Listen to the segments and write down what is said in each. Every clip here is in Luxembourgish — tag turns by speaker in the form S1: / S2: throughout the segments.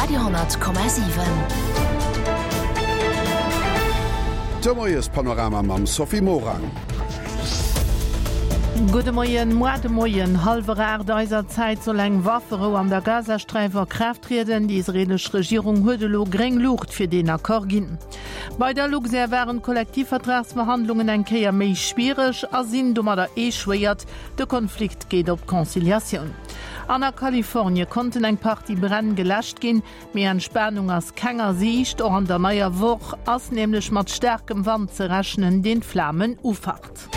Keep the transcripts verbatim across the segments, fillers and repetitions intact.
S1: Radio honnert Komma siwen.
S2: De Moiespanorama mam Sophie Morang.
S3: Gudde Moien, Moar de Moien hallwer aacht eiser Zäit soll eng Wafferou an der Gazasträif a Kraaft trieden. Déi israeelesch Regierung huet elo gréng Luucht fir deen Accord ginn. Bei der Luxair waren d'Kollektivvertragsverhandlungen eng Kéier méi schwiereg a sinn domadder echouéiert. De Konflikt geet op d'Conciliatioun. An a Kalifornie konnten eng Partie Bränn geläscht ginn, mee Entspanung ass keng a Siicht. Och an der neier Woch ass nämlech mat staarkem Wand ze rechnen, deen d'Flamen ufacht.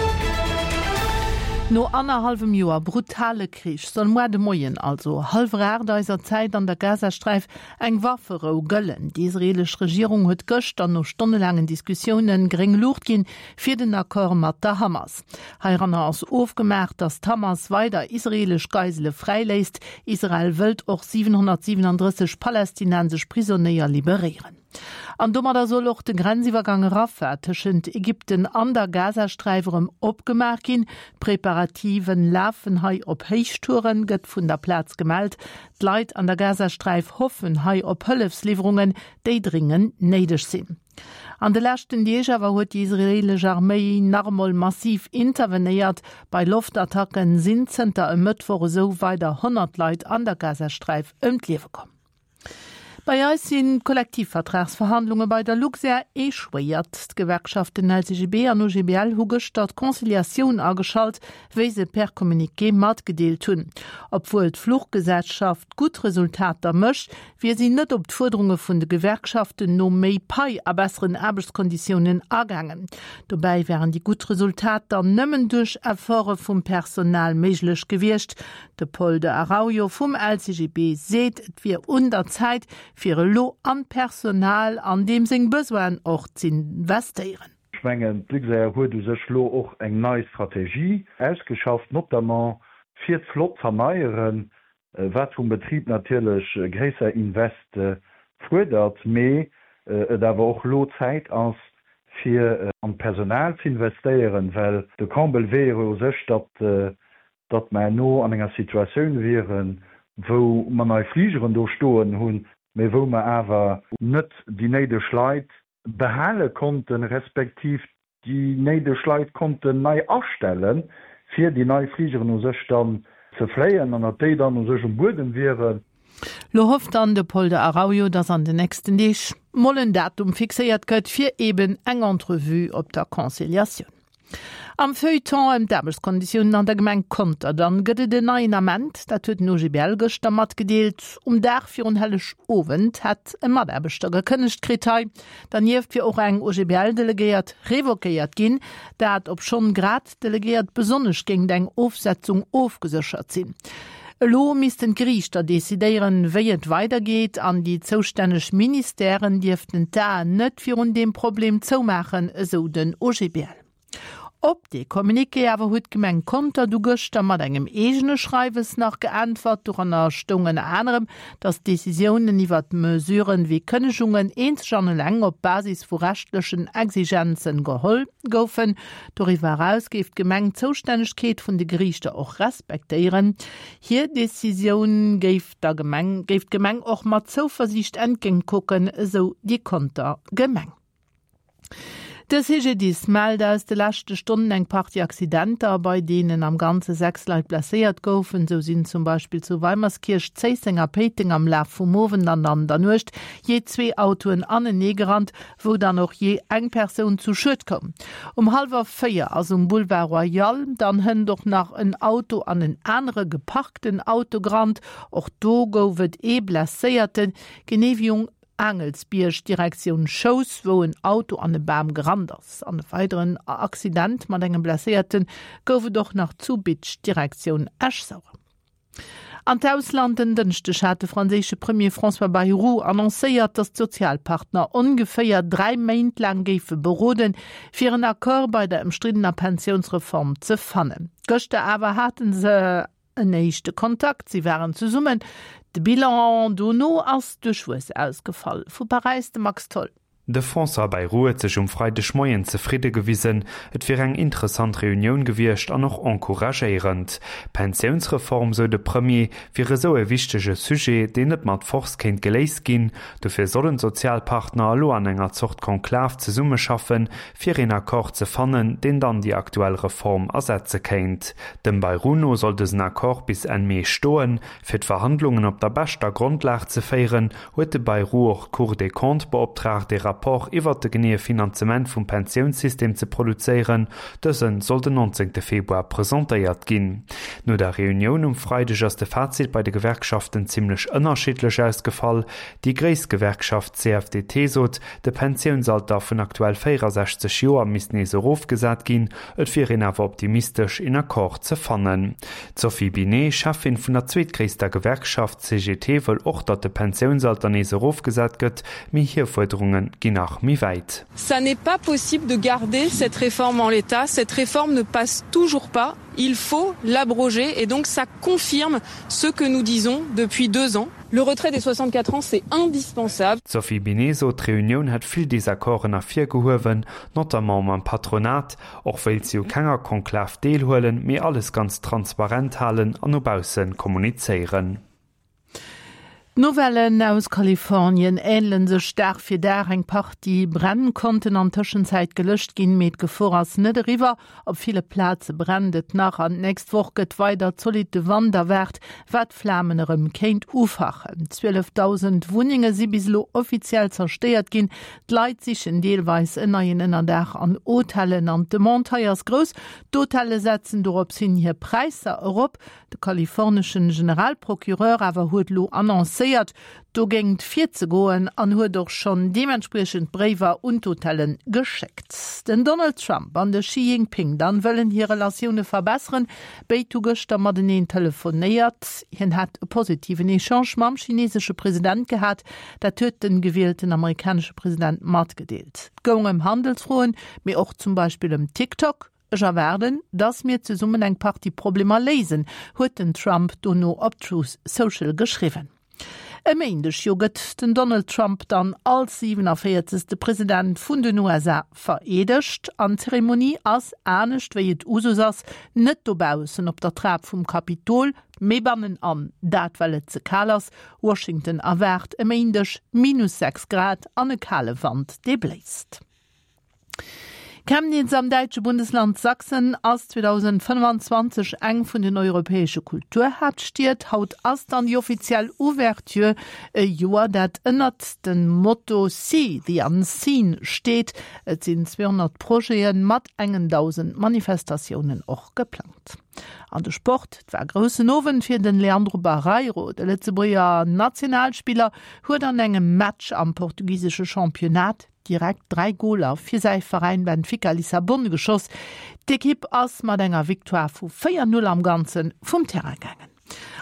S3: No annerhallwem Joer brutale Krich soll muer de Moien, also hallwer aacht eiser Zäit, an der Gazasträif eng Wafferou gëllen. Déi israeelesch Regierung huet gëschter no stonnelaangen Diskussiounen gréng Luucht ginn fir den Accord mat der Hamas. Heiranner ass ofgemaach, datt d'Hamas weider israeelesch Geisele fräiléisst. Israel wëllt och siwenhonnertsiwenandrësseg palästinensesch Prisonéier liberéieren. An domadder soll och de Grenziwwergang Rafah tëschent Ägypten an der Gazasträif erëm opgemaach ginn. D'Preparativen lafen hei op Héichtouren, gëtt vun der Plaz gemellt. D'Leit an der Gazasträif hoffen hei op Hëllefsliwwerungen, déi dringend néideg sinn. An de leschten Deeg awer huet déi israeelesch Arméi nach emol massiv intervenéiert. Bei Loftattacken sinn zënter e Mëttwoch esou weider honnert Leit an der Gazasträif ëm d'Liewe komm. Bei eis sinn d'Kollektivvertragsverhandlunge bei der Luxair echouéiert. D'Gewerkschaften L C G B an O G B L hu gëschter d'Conciliatioun ageschalt, wéi se per Communiqué matgedeelt hunn. Obwuel d'Fluchgesellschaft gutt Resultater mécht, wier si net op d'Fuerderunge vun de Gewerkschaften no méi Pai a besseren Aarbechtskonditiounen agaangen. Dobäi wären déi gutt Resultater nëmmen duerch Efforte vum Personal méiglech gewiescht. De Paul de Araujo vum L C G B seet, et wier un der Zäit, fir elo an d'Personal an deem seng Besoinen och z'investéieren.
S4: Ech mengen, d'Luxair huet u sech elo och eng nei Strategie ausgeschafft, notamment fir d'Flott z'erneieren, wat vum Betrib natierlech gréisser Investe fuerdert, mee et awer och elo Zäit ass, fir an d'Personal z'investéieren, well de Comble wier jo u sech, datt datt mer herno an enger Situatioun wieren, wou mer nei Fligeren do stoen hunn, mee wou mer awer net déi néideg Leit behale konnten, respektiv déi néideg Leit konnten nei astellen, fir déi nei Fligeren u sech dann ze fléien an datt déi dann u sech um Buedem wieren.
S3: Lo hofft dann de Paul de Araujo, datt an den nächsten Deeg mol en Datum fixéiert gëtt fir eben eng Entrevue op der Conciliatioun. Am Feuilleton ëm d'Aarbechtskonditiounen an der Gemeng Conter dann gëtt et en neien Ament, dat huet den O G B L gëschter matgedeelt. Um Dag virun Hellegowend hätt e Mataarbechter gekënnegt kritt hei. Dernieft wier och eng O G B L-Delegéiert revoquéiert ginn, dat obschonn grad d'Delegéiert besonnesch géint eng Ofsetzung ofgeséchert sinn. Elo missten d'Geriichter decidéieren, wéi et weidergeet an déi zoustänneg Ministèren dierften d'Aen net virun deem Problem zoumaachen, esou den O G B L. Op dee Communiqué awer huet d'Gemeng Conter du gëschter mat engem eegene Schreiwes nach geäntwert. Doranner stoung ënner anerem, datt d'Decisiounen iwwert Mesuren wéi Kënnegungen eenzeg an eleng op Basis vu rechtlechen Exigenzen geholl goufen. Doriwwer eraus géif d'Gemeng d'Zoustännegkeet vun de Geriichter och respektéieren. Hir Decisioun géif der Gemeng, géif d'Gemeng och mat Zouversiicht entgéintkucken, esou déi Conter Gemeng. De C G D I S mellt aus de leschte Stonnen eng Partie Accidenter, bei deenen am Ganze sechs Leit blesséiert goufen. Sou sinn zum Beispill zu Weimerskirch, Zéisseng a Péiteng am Laf vum Owend an an der Nuecht jee zwee Autoen aneneegerannt, wou dann och jee eng Persoun zu Schued koum. Um hallwer véier ass um Boulevard Royal dann hënt och nach en Auto an en anere geparkten Auto gerannt. Och do gouf et ee Blesséierten, genee wéi um Aangelsbierg Direktioun Schous, wou en Auto an e Bam gerannt ass. An e weideren Accident mat engem Blesséierte gouf et och nach zu Bitsch Direktioun Esch-Sauer. An d'Ausland, En Dënschdeg hat de franséische Premier François Bayrou annoncéiert, datt d'Sozialpartner ongeféier dräi Méint laang géife beroden, fir en Accord bei der ëmstriddener Pensiounsreform ze fannen. Gëschter awer hate se en éischte Kontakt, si waren zesummen. De Bilan dono ass duerchwuess ausgefall. Vu Paräis de Max Tholl.
S1: De François Bayrou huet sech um Freidegmoien zefridde gewisen, et wier eng interessant Reunioun gewiescht an och encouragéierend. D'Pensiounsreform, sou de Premier, wier esou e wichtege Sujet, deen net mat Force kéint geléist ginn. Dofir sollen d'Sozialpartner elo an enger Zort Konklav zesummeschaffen, fir een Accord ze fannen, deen dann déi aktuell Reform ersetze kéint. Dem Bayrou no soll dësen Accord bis Enn Mee stoen. Fir d'Verhandlungen op der beschter Grondlag ze féieren, huet de Bayrou och d'Cour des Comptes beoptraagt, ee Rapport iwwert de geneeë Finanzement vum Pensiounssystem ze produzéieren. Dëse soll den nonzéngte Februar presentéiert ginn. No der Reunioun um Freideg ass de Fazit bei de Gewerkschaften zimmlech ënnerschiddlech ausgefall. Déi gréisst Gewerkschaft C F D T sot, de Pensiounsalter vun aktuell véierasechzeg Joer misst nees erofgesat ginn. Et wier een awer optimistesch, een Accord ze fannen. D'Sophie Binet, Cheffin vun der zweetgréisster Gewerkschaft C G T, wëll och, datt de Pensiounsalter nees erofgesat gëtt, mee hir Fuerderunge ginn nach méi wäit.
S5: Ça n'est pas possible de garder cette réforme en l'état. Cette réforme ne passe toujours pas. Il faut l'abroger et donc ça confirme ce que nous disons depuis deux ans. Le retrait des soixante-quatre ans, c'est indispensable.
S1: D'Sophie Binet sot, d'Reunioun hätt vill Desaccorden ervirgehuewen, notamment mam Patronat. Och wéilt si u kenger Konklav deelhuelen, mee alles ganz transparent halen an no bausse kommunizéieren.
S3: D'Nouvellen aus Kalifornien änele sech Dag fir Dag. Eng Partie Bränn konnten an Tëschenzäit geläscht ginn, mee d'Gefor ass net eriwwer. Op ville Plaze brennt et nach an d'nächst Woch gëtt weider zolitte Wand erwaart, wat d'Flamen erëm kéint ufachen. zwielefdausend Wunnenge si bis elo offiziell zerstéiert ginn. D'Leit sichen deelweis en neien Ënnerdaach an Hotellen an d'Demande hei ass grouss. D'Hotelle setzen dorops hin hir Präisser erop. De kalifornesche Generalprocureur awer huet lo annoncéiert, dogéint virzegoen an huet och schonn deementspriechend Bréiwer un d'Hotelle geschéckt. Den Donald Trump an de Xi Jinping dann wëllen hir Relatioune verbesseren. Béid hu gëschter mateneen telefonéiert. Hien hätt e positiven Echange mam chinesesche President gehat, dat huet de gewielten amerikanesche President matgedeelt. Et goung ëm Handelsfroen, mee och zum Beispill ëm TikTok. Ech erwaarden, dass mir zesummen eng Partie Problemer léisen, huet den Trump dono op Truth Social geschriwwen. E Méindeg jo gëtt den Donald Trump dann als siewenundvierzigste. President vun den U S A vereedegt. An d'Zeremonie ass, anescht wéi et Usus ass, net dobaussen op der Trap vum Kapitol, mee bannenan, dat well et ze kal ass. Washington erwaart e Méindeg minus sechs Grad an e kale Wand, dee bléist. Chemnitz am däitsche Bundesland Sachsen ass zweedausendfënnfanzwanzeg eng vun den europäesche Kulturhaaptstied. Haut ass dann déi offiziell Ouverture, e Joer, dat ënnert dem Motto See the Unseen steet. Et sinn zweehonnert Projete mat engen dausend Manifestatiounen och geplangt. An de Sport. Et war groussen Owend fir den Leandro Barreiro. De Lëtzebuerger Nationalspiller huet an engem Match am portugisesche Championnat direkt dräi Goler fir säi Veräin Benfica Lissabon geschoss. D'Ekipp ass mat enger Victoire vu véier Null am Ganze vum Terrain gaangen.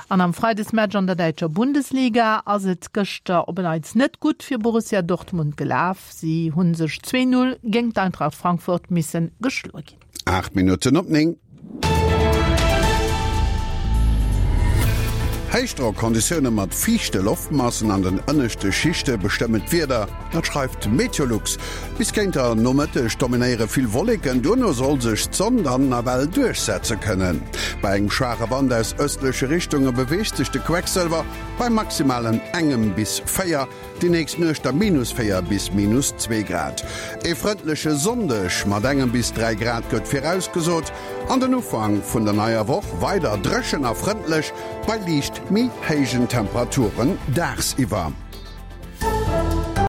S3: An am Freidesmatch an der däitscher Bundesliga ass et gëschter op en Neits net gutt fir Borussia Dortmund gelaf. Si hu sech zwee Null géint d'Eintracht Frankfurt misse geschloe ginn.
S2: Aacht Minutten op néng. Héichdrockonditioune mat fiichte Loftmassen an den ënneschte Schichte bestëmmen d'Wieder, dat schreift Meteolux. Bis géint der Nomëtteg dominéiere vill Wolleken, duerno soll sech d'Sonn dann nawell duerchsetze kënnen. Bei engem schwaache Wand aus ëstleche Richtunge beweegt sech de Quecksëlwer bei maximalen engem bis véier, déi nächst Nuecht da minus véier bis minus zwee Grad. E frëndleche Sonndeg mat engem bis dräi Grad gëtt virausgesot an den Ufank vun der neier Woch weider dréchen a frëndlech bei liicht méi héijen Temperaturen dagsiwwer.